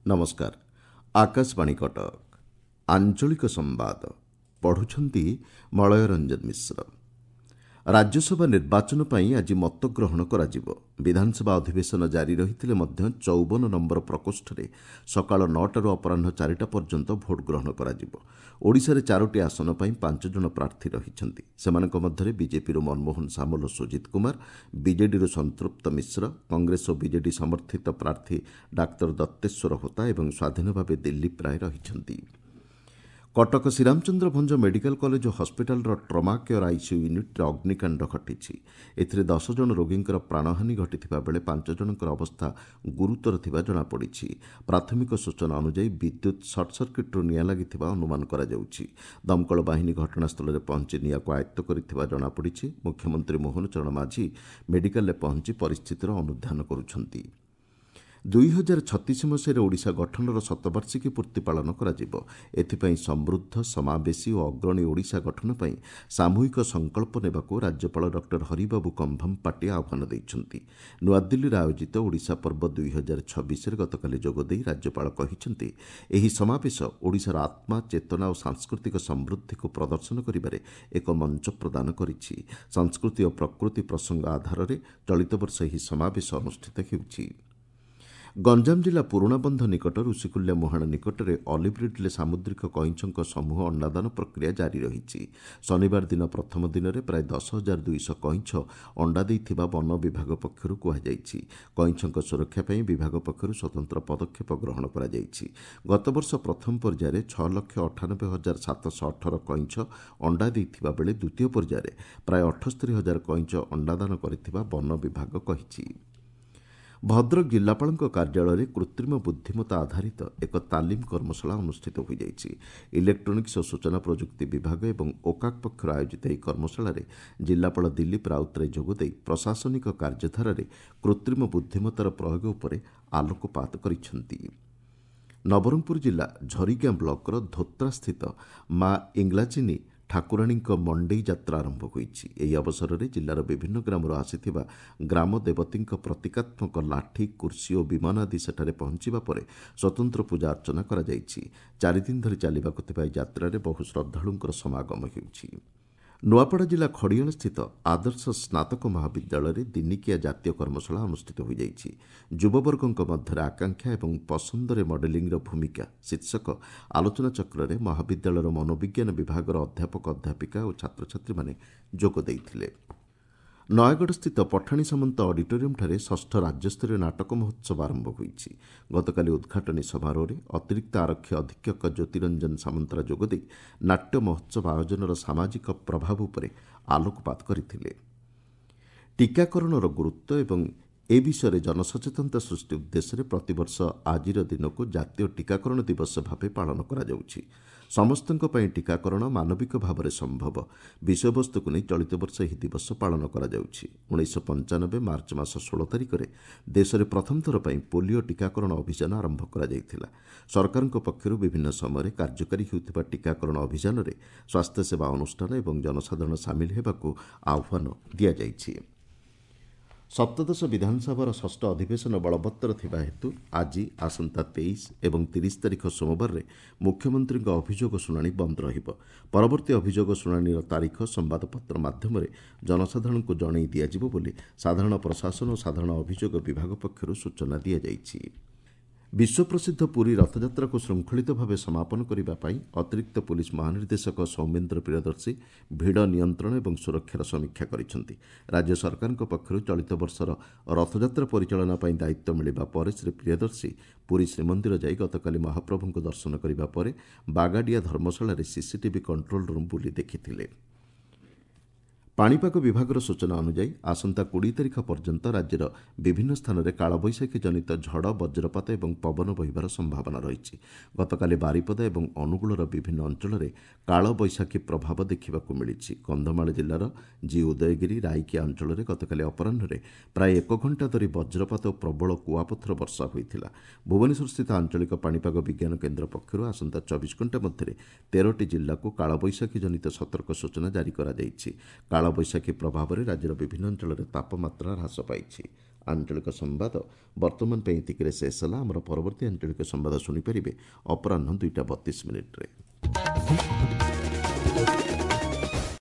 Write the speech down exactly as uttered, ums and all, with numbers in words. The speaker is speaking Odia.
ନମସ୍କାର ଆକାଶବାଣୀ କଟକ ଆଞ୍ଚଳିକ ସମ୍ବାଦ ପଢୁଛନ୍ତି ମଳୟ ରଞ୍ଜନ ମିଶ୍ର ରାଜ୍ୟସଭା ନିର୍ବାଚନ ପାଇଁ ଆଜି ମତଗ୍ରହଣ କରାଯିବ ବିଧାନସଭା ଅଧିବେଶନ ଜାରି ରହିଥିଲେ ମଧ୍ୟ ଚଉବନ ନମ୍ବର ପ୍ରକୋଷ୍ଠରେ ସକାଳ ନଅଟାରୁ ଅପରାହ୍ନ ଚାରିଟା ପର୍ଯ୍ୟନ୍ତ ଭୋଟ୍ ଗ୍ରହଣ କରାଯିବ ଓଡ଼ିଶାରେ ଚାରୋଟି ଆସନ ପାଇଁ ପାଞ୍ଚ ଜଣ ପ୍ରାର୍ଥୀ ରହିଛନ୍ତି ସେମାନଙ୍କ ମଧ୍ୟରେ ବିଜେପିରୁ ମନମୋହନ ସାମଲ ଓ ସୁଜିତ କୁମାର ବିଜେଡିରୁ ସଂତୃପ୍ତ ମିଶ୍ର କଂଗ୍ରେସ ଓ ବିଜେଡି ସମର୍ଥିତ ପ୍ରାର୍ଥୀ ଡାକ୍ତର ଦତ୍ତେଶ୍ୱର ହୋତା ଏବଂ ସ୍ୱାଧୀନ ଭାବେ ଦିଲ୍ଲୀପ ରାୟ ରହିଛନ୍ତି କଟକ ଶ୍ରୀରାମଚନ୍ଦ୍ର ଭଞ୍ଜ ମେଡିକାଲ କଲେଜ ଓ ହସ୍ପିଟାଲର ଟ୍ରମା କେୟାର ଆଇସିୟୁ ୟୁନିଟ୍ରେ ଅଗ୍ନିକାଣ୍ଡ ଘଟିଛି ଏଥିରେ ଦଶ ଜଣ ରୋଗୀଙ୍କର ପ୍ରାଣହାନି ଘଟିଥିବା ବେଳେ ପାଞ୍ଚ ଜଣଙ୍କର ଅବସ୍ଥା ଗୁରୁତର ଥିବା ଜଣାପଡ଼ିଛି ପ୍ରାଥମିକ ସୂଚନା ଅନୁଯାୟୀ ବିଦ୍ୟୁତ୍ ସର୍ଟ ସର୍କିଟ୍ରୁ ନିଆଁ ଲାଗିଥିବା ଅନୁମାନ କରାଯାଉଛି ଦମକଳ ବାହିନୀ ଘଟଣାସ୍ଥଳରେ ପହଞ୍ଚି ନିଆଁକୁ ଆୟତ୍ତ କରିଥିବା ଜଣାପଡ଼ିଛି ମୁଖ୍ୟମନ୍ତ୍ରୀ ମୋହନ ଚରଣ ମାଝୀ ମେଡିକାଲରେ ପହଞ୍ଚି ପରିସ୍ଥିତିର ଅନୁଧ୍ୟାନ କରୁଛନ୍ତି ଦୁଇ ହଜାର ଛତିଶ ମସିହାରେ ଓଡ଼ିଶା ଗଠନର ଶତବାର୍ଷିକୀ ପୂର୍ତ୍ତି ପାଳନ କରାଯିବ ଏଥିପାଇଁ ସମୃଦ୍ଧ ସମାବେଶୀ ଓ ଅଗ୍ରଣୀ ଓଡ଼ିଶା ଗଠନ ପାଇଁ ସାମୂହିକ ସଂକଳ୍ପ ନେବାକୁ ରାଜ୍ୟପାଳ ଡକ୍ଟର ହରିବାବୁ କମ୍ଭମପାଟି ଆହ୍ୱାନ ଦେଇଛନ୍ତି ନୂଆଦିଲ୍ଲୀରେ ଆୟୋଜିତ ଓଡ଼ିଶା ପର୍ବ ଦୁଇ ହଜାର ଛବିଶରେ ଗତକାଲି ଯୋଗଦେଇ ରାଜ୍ୟପାଳ କହିଛନ୍ତି ଏହି ସମାବେଶ ଓଡ଼ିଶାର ଆତ୍ମା ଚେତନା ଓ ସାଂସ୍କୃତିକ ସମୃଦ୍ଧିକୁ ପ୍ରଦର୍ଶନ କରିବାରେ ଏକ ମଞ୍ଚ ପ୍ରଦାନ କରିଛି ସଂସ୍କୃତି ଓ ପ୍ରକୃତି ପ୍ରସଙ୍ଗ ଆଧାରରେ ଚଳିତ ବର୍ଷ ଏହି ସମାବେଶ ଅନୁଷ୍ଠିତ ହେଉଛି ଗଞ୍ଜାମ ଜିଲ୍ଲା ପୁରୁଣାବନ୍ଧ ନିକଟ ଋଷିକୁଲ୍ୟା ମୁହାଣ ନିକଟରେ ଅଲିଭ୍ ରିଡ୍ଲେ ସାମୁଦ୍ରିକ କଇଁଛଙ୍କ ସମୂହ ଅଣ୍ଡାଦାନ ପ୍ରକ୍ରିୟା ଜାରି ରହିଛି ଶନିବାର ଦିନ ପ୍ରଥମ ଦିନରେ ପ୍ରାୟ ଦଶ ହଜାର ଦୁଇଶହ କଇଁଛ ଅଣ୍ଡା ଦେଇଥିବା ବନ ବିଭାଗ ପକ୍ଷରୁ କୁହାଯାଇଛି କଇଁଛଙ୍କ ସୁରକ୍ଷା ପାଇଁ ବିଭାଗ ପକ୍ଷରୁ ସ୍ୱତନ୍ତ୍ର ପଦକ୍ଷେପ ଗ୍ରହଣ କରାଯାଇଛି ଗତବର୍ଷ ପ୍ରଥମ ପର୍ଯ୍ୟାୟରେ ଛଅ ଲକ୍ଷ ଅଠାନବେ ହଜାର ସାତଶହ ଅଠର କଇଁଛ ଅଣ୍ଡା ଦେଇଥିବା ବେଳେ ଦ୍ୱିତୀୟ ପର୍ଯ୍ୟାୟରେ ପ୍ରାୟ ଅଠସ୍ତରୀ ହଜାର କଇଁଛ ଅଣ୍ଡାଦାନ କରିଥିବା ବନ ବିଭାଗ କହିଛି ଭଦ୍ରକ ଜିଲ୍ଲାପାଳଙ୍କ କାର୍ଯ୍ୟାଳୟରେ କୃତ୍ରିମ ବୁଦ୍ଧିମତ୍ତା ଆଧାରିତ ଏକ ତାଲିମ କର୍ମଶାଳା ଅନୁଷ୍ଠିତ ହୋଇଯାଇଛି ଇଲେକ୍ଟ୍ରୋନିକ୍ସ ଓ ସୂଚନା ପ୍ରଯୁକ୍ତି ବିଭାଗ ଏବଂ ଓକାକ୍ ପକ୍ଷରୁ ଆୟୋଜିତ ଏହି କର୍ମଶାଳାରେ ଜିଲ୍ଲାପାଳ ଦିଲ୍ଲୀପ ରାଉତରାୟ ଯୋଗଦେଇ ପ୍ରଶାସନିକ କାର୍ଯ୍ୟଧାରାରେ କୃତ୍ରିମ ବୁଦ୍ଧିମତ୍ତାର ପ୍ରୟୋଗ ଉପରେ ଆଲୋକପାତ କରିଛନ୍ତି ନବରଙ୍ଗପୁର ଜିଲ୍ଲା ଝରିଗାଁ ବ୍ଲକର ଧୋତ୍ରାସ୍ଥିତ ମା ଇଂଲାଜିନୀ ଠାକୁରାଣୀଙ୍କ ମଣ୍ଡେଇ ଯାତ୍ରା ଆରମ୍ଭ ହୋଇଛି ଏହି ଅବସରରେ ଜିଲ୍ଲାର ବିଭିନ୍ନ ଗ୍ରାମରୁ ଆସିଥିବା ଗ୍ରାମ ଦେବତୀଙ୍କ ପ୍ରତୀକାତ୍ମକ ଲାଠି କୁର୍ସୀ ଓ ବିମାନ ଆଦି ସେଠାରେ ପହଞ୍ଚିବା ପରେ ସ୍ୱତନ୍ତ୍ର ପୂଜା ଅର୍ଚ୍ଚନା କରାଯାଇଛି ଚାରିଦିନ ଧରି ଚାଲିବାକୁ ଥିବା ଏହି ଯାତ୍ରାରେ ବହୁ ଶ୍ରଦ୍ଧାଳୁଙ୍କର ସମାଗମ ହେଉଛି ନୂଆପଡ଼ା ଜିଲ୍ଲା ଖଡ଼ିଆଳସ୍ଥିତ ଆଦର୍ଶ ସ୍ନାତକ ମହାବିଦ୍ୟାଳୟରେ ଦିନିକିଆ ଜାତୀୟ କର୍ମଶାଳା ଅନୁଷ୍ଠିତ ହୋଇଯାଇଛି ଯୁବବର୍ଗଙ୍କ ମଧ୍ୟରେ ଆକାଂକ୍ଷା ଏବଂ ପସନ୍ଦରେ ମଡେଲିଂର ଭୂମିକା ଶୀର୍ଷକ ଆଲୋଚନାଚକ୍ରରେ ମହାବିଦ୍ୟାଳୟର ମନୋବିଜ୍ଞାନ ବିଭାଗର ଅଧ୍ୟାପକ ଅଧ୍ୟାପିକା ଓ ଛାତ୍ରଛାତ୍ରୀମାନେ ଯୋଗ ଦେଇଥିଲେ ନୟାଗଡ଼ସ୍ଥିତ ପଠାଣି ସାମନ୍ତ ଅଡିଟୋରିୟମ୍ଠାରେ ଷଷ୍ଠ ରାଜ୍ୟସ୍ତରୀୟ ନାଟକ ମହୋତ୍ସବ ଆରମ୍ଭ ହୋଇଛି ଗତକାଲି ଉଦ୍ଘାଟନୀ ସମାରୋହରେ ଅତିରିକ୍ତ ଆରକ୍ଷୀ ଅଧୀକ୍ଷକ ଜ୍ୟୋତିରଞ୍ଜନ ସାମନ୍ତରା ଯୋଗଦେଇ ନାଟ୍ୟ ମହୋତ୍ସବ ଆୟୋଜନର ସାମାଜିକ ପ୍ରଭାବ ଉପରେ ଆଲୋକପାତ କରିଥିଲେ ଟିକାକରଣର ଗୁରୁତ୍ୱ ଏବଂ ଏ ବିଷୟରେ ଜନସଚେତନତା ସୃଷ୍ଟି ଉଦ୍ଦେଶ୍ୟରେ ପ୍ରତିବର୍ଷ ଆଜିର ଦିନକୁ ଜାତୀୟ ଟିକାକରଣ ଦିବସ ଭାବେ ପାଳନ କରାଯାଉଛି ସମସ୍ତଙ୍କ ପାଇଁ ଟିକାକରଣ ମାନବିକ ଭାବରେ ସମ୍ଭବ ବିଷୟବସ୍ତୁକୁ ନେଇ ଚଳିତ ବର୍ଷ ଏହି ଦିବସ ପାଳନ କରାଯାଉଛି ଉଣେଇଶହ ପଞ୍ଚାନବେ ମାର୍ଚ୍ଚ ମାସ ଷୋହଳ ତାରିଖରେ ଦେଶରେ ପ୍ରଥମ ଥର ପାଇଁ ପୋଲିଓ ଟିକାକରଣ ଅଭିଯାନ ଆରମ୍ଭ କରାଯାଇଥିଲା ସରକାରଙ୍କ ପକ୍ଷରୁ ବିଭିନ୍ନ ସମୟରେ କାର୍ଯ୍ୟକାରୀ ହେଉଥିବା ଟିକାକରଣ ଅଭିଯାନରେ ସ୍ୱାସ୍ଥ୍ୟସେବା ଅନୁଷ୍ଠାନ ଏବଂ ଜନସାଧାରଣ ସାମିଲ ହେବାକୁ ଆହ୍ୱାନ ଦିଆଯାଇଛି ସପ୍ତଦଶ ବିଧାନସଭାର ଷଷ୍ଠ ଅଧିବେଶନ ବଳବତ୍ତର ଥିବା ହେତୁ ଆଜି ଆସନ୍ତା ତେଇଶ ଏବଂ ତିରିଶ ତାରିଖ ସୋମବାରରେ ମୁଖ୍ୟମନ୍ତ୍ରୀଙ୍କ ଅଭିଯୋଗ ଶୁଣାଣି ବନ୍ଦ ରହିବ ପରବର୍ତ୍ତୀ ଅଭିଯୋଗ ଶୁଣାଣିର ତାରିଖ ସମ୍ବାଦପତ୍ର ମାଧ୍ୟମରେ ଜନସାଧାରଣଙ୍କୁ ଜଣାଇ ଦିଆଯିବ ବୋଲି ସାଧାରଣ ପ୍ରଶାସନ ଓ ସାଧାରଣ ଅଭିଯୋଗ ବିଭାଗ ପକ୍ଷରୁ ସୂଚନା ଦିଆଯାଇଛି ବିଶ୍ୱପ୍ରସିଦ୍ଧ ପୁରୀ ରଥଯାତ୍ରାକୁ ଶୃଙ୍ଖଳିତ ଭାବେ ସମାପନ କରିବା ପାଇଁ ଅତିରିକ୍ତ ପୁଲିସ୍ ମହାନିର୍ଦ୍ଦେଶକ ସୌମେନ୍ଦ୍ର ପ୍ରିୟଦର୍ଶୀ ଭିଡ଼ ନିୟନ୍ତ୍ରଣ ଏବଂ ସୁରକ୍ଷାର ସମୀକ୍ଷା କରିଛନ୍ତି ରାଜ୍ୟ ସରକାରଙ୍କ ପକ୍ଷରୁ ଚଳିତ ବର୍ଷର ରଥଯାତ୍ରା ପରିଚାଳନା ପାଇଁ ଦାୟିତ୍ୱ ମିଳିବା ପରେ ଶ୍ରୀ ପ୍ରିୟଦର୍ଶୀ ପୁରୀ ଶ୍ରୀମନ୍ଦିର ଯାଇ ଗତକାଲି ମହାପ୍ରଭୁଙ୍କୁ ଦର୍ଶନ କରିବା ପରେ ବାଗାଡ଼ିଆ ଧର୍ମଶାଳାରେ ସିସିଟିଭି କଣ୍ଟ୍ରୋଲ ରୁମ୍ ବୁଲି ଦେଖିଥିଲେ ପାଣିପାଗ ବିଭାଗର ସୂଚନା ଅନୁଯାୟୀ ଆସନ୍ତା କୋଡ଼ିଏ ତାରିଖ ପର୍ଯ୍ୟନ୍ତ ରାଜ୍ୟର ବିଭିନ୍ନ ସ୍ଥାନରେ କାଳବୈଶାଖୀ ଜନିତ ଝଡ଼, ବଜ୍ରପାତ ଏବଂ ପବନ ବହିବାର ସମ୍ଭାବନା ରହିଛି। ଗତକାଲି ବାରିପଦା ଏବଂ ଅନୁଗୁଳର ବିଭିନ୍ନ ଅଞ୍ଚଳରେ କାଳବୈଶାଖୀ ପ୍ରଭାବ ଦେଖିବାକୁ ମିଳିଛି। କନ୍ଧମାଳ ଜିଲ୍ଲାର ଜି ଉଦୟଗିରି, ରାଇକିଆ ଅଞ୍ଚଳରେ ଗତକାଲି ଅପରାହ୍ନରେ ପ୍ରାୟ ଏକ ଘଣ୍ଟା ଧରି ବଜ୍ରପାତ ଓ ପ୍ରବଳ କୁଆପଥର ବର୍ଷା ହୋଇଥିଲା। ଭୁବନେଶ୍ୱରସ୍ଥିତ ଆଞ୍ଚଳିକ ପାଣିପାଗ ବିଜ୍ଞାନ କେନ୍ଦ୍ର ପକ୍ଷରୁ ଆସନ୍ତା ଚବିଶ ଘଣ୍ଟା ମଧ୍ୟରେ ତେରଟି ଜିଲ୍ଲାକୁ କାଳବୈଶାଖୀ ଜନିତ ସତର୍କ ସୂଚନା ଜାରି କରାଯାଇଛି। କାଳବୈଶାଖୀ ପ୍ରଭାବରେ ରାଜ୍ୟର ବିଭିନ୍ନ ଅଞ୍ଚଳରେ ତାପମାତ୍ରା ହ୍ରାସ ପାଇଛି। ଆଞ୍ଚଳିକ ସମ୍ବାଦ ବର୍ତ୍ତମାନ ପାଇଁ ଏତିକିରେ ଶେଷ ହେଲା। ଆମର ପରବର୍ତ୍ତୀ ଆଞ୍ଚଳିକ ସମ୍ବାଦ ଶୁଣିପାରିବେ ଅପରାହ୍ନ ଦୁଇଟା ବତିଶ ମିନିଟ୍ରେ।